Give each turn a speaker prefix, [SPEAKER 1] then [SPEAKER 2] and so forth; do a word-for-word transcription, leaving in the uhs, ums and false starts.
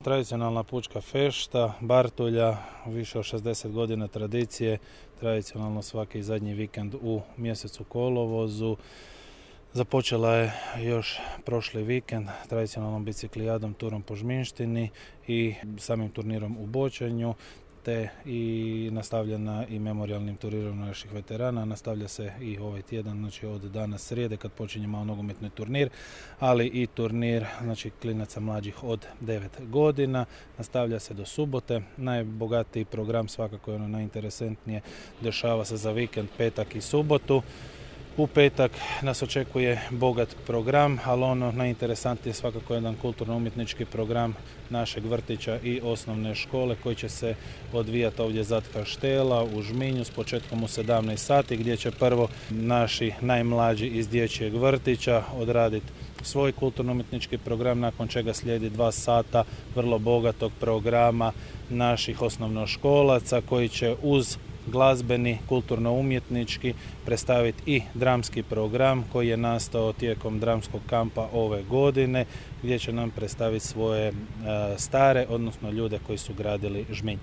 [SPEAKER 1] Tradicionalna pučka fešta, Bartulja, više od šezdeset godina tradicije, tradicionalno svaki zadnji vikend u mjesecu kolovozu. Započela je još prošli vikend tradicionalnom biciklijadom, turom po Žminštini i samim turnirom u bočanju, te i nastavljena i memorijalnim turirom naših veterana. Nastavlja se i ovaj tjedan, znači od danas srijede kad počinje malo nogometni turnir, ali i turnir znači klinaca mlađih od devet godina. Nastavlja se do subote. Najbogatiji program, svakako je ono najinteresantnije, dešava se za vikend, petak i subotu. U petak nas očekuje bogat program, ali ono najinteresantnije je svakako jedan kulturno-umjetnički program našeg vrtića i osnovne škole koji će se odvijati ovdje zad Kaštela u Žminju s početkom u sedamnaest sati, gdje će prvo naši najmlađi iz dječjeg vrtića odraditi svoj kulturno-umjetnički program, nakon čega slijedi dva sata vrlo bogatog programa naših osnovnoškolaca koji će uz glazbeni, kulturno-umjetnički predstaviti i dramski program koji je nastao tijekom dramskog kampa ove godine, gdje će nam predstaviti svoje e, stare, odnosno ljude koji su gradili Žminj.